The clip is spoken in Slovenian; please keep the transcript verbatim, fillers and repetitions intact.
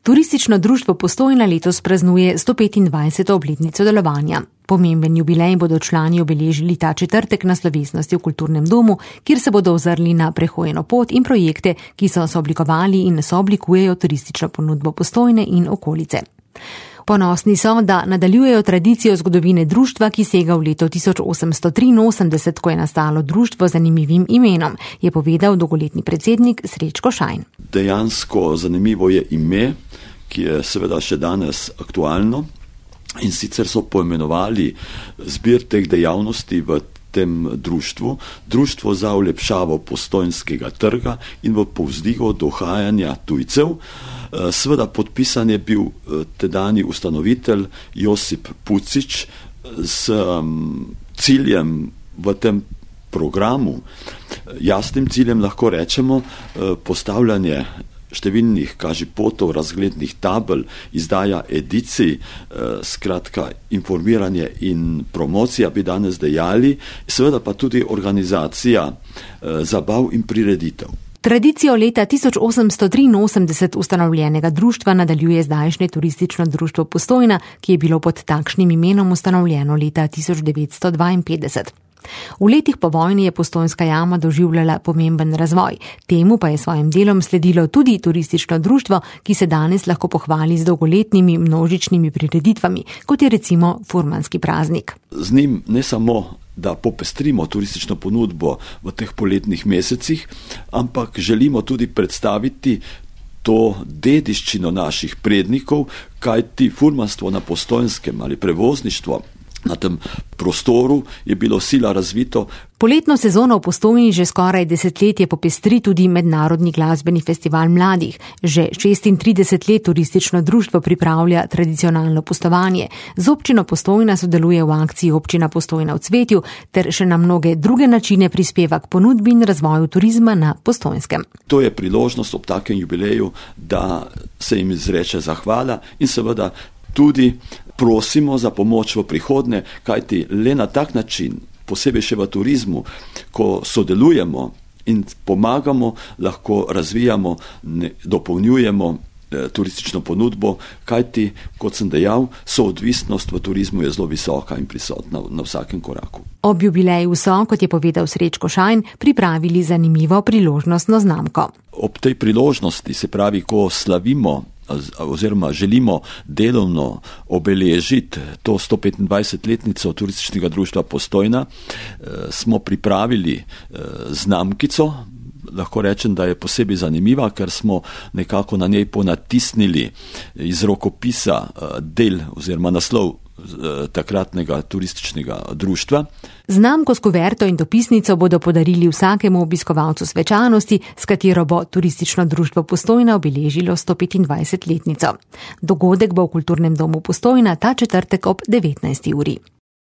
Turistično društvo Postojna letos praznuje sto petindvajseto obletnico delovanja. Pomemben jubilej bodo člani obeležili ta četrtek na slovesnosti v Kulturnem domu, kjer se bodo ozrli na prehojeno pot in projekte, ki so sooblikovali in sooblikujejo turistično ponudbo Postojne in okolice. Ponosni so, da nadaljujejo tradicijo zgodovine društva, ki sega v leto tisoč osemsto triinosemdeset, ko je nastalo društvo z zanimivim imenom, je povedal dolgoletni predsednik Srečko Šajn. Dejansko zanimivo je ime, ki je seveda še danes aktualno, in sicer so poimenovali zbir teh dejavnosti v tem društvu, društvo za olepšavo Postojnskega trga in v povzdigu dohajanja tujcev. Seveda podpisan je bil tedajni ustanovitelj Josip Pucić s ciljem v tem programu, jasnim ciljem lahko rečemo postavljanje številnih kažipotov, razglednih tabel, izdaja edicij, skratka informiranje in promocija bi danes dejali, seveda pa tudi organizacija zabav in prireditev. Tradicijo leta tisoč osemsto triinosemdeset ustanovljenega društva nadaljuje zdajšnje turistično društvo Postojna, ki je bilo pod takšnim imenom ustanovljeno leta tisoč devetsto dvainpetdeset. V letih po vojni je Postojnska jama doživljala pomemben razvoj. Temu pa je svojim delom sledilo tudi turistično društvo, ki se danes lahko pohvali z dolgoletnimi množičnimi prireditvami, kot je recimo furmanski praznik. Z njim ne samo, da popestrimo turistično ponudbo v teh poletnih mesecih, ampak želimo tudi predstaviti to dediščino naših prednikov, kajti furmanstvo na Postojnskem ali prevozništvo na tem prostoru je bilo sila razvito. Poletno sezono v Postojni že skoraj desetletje popestri tudi mednarodni glasbeni festival mladih. Že šestintrideset let turistično društvo pripravlja tradicionalno pustovanje. Z občino Postojna sodeluje v akciji Občina Postojna v cvetju ter še na mnoge druge načine prispeva k ponudbi in razvoju turizma na Postojnskem. To je priložnost ob takem jubileju, da se jim izreče zahvala in seveda tudi prosimo za pomoč v prihodnje, kajti le na tak način, posebej še v turizmu, ko sodelujemo in pomagamo, lahko razvijamo, ne, dopolnjujemo eh, turistično ponudbo, kajti, kot sem dejal, soodvisnost v turizmu je zelo visoka in prisotna na vsakem koraku. Ob jubileju so, kot je povedal Srečko Šajn, pripravili zanimivo priložnostno znamko. Ob tej priložnosti, se pravi, ko slavimo oziroma želimo delovno obeležiti to sto petindvajsetletnico turističnega društva Postojna, smo pripravili znamkico. Lahko rečem, da je posebej zanimiva, ker smo nekako na njej ponatisnili iz rokopisa del oziroma naslov takratnega turističnega društva. Znamko s kuverto in dopisnico bodo podarili vsakemu obiskovalcu svečanosti, s katero bo turistično društvo Postojna obeležilo sto petindvajsetletnico. Dogodek bo v Kulturnem domu Postojna ta četrtek ob devetnajsti uri.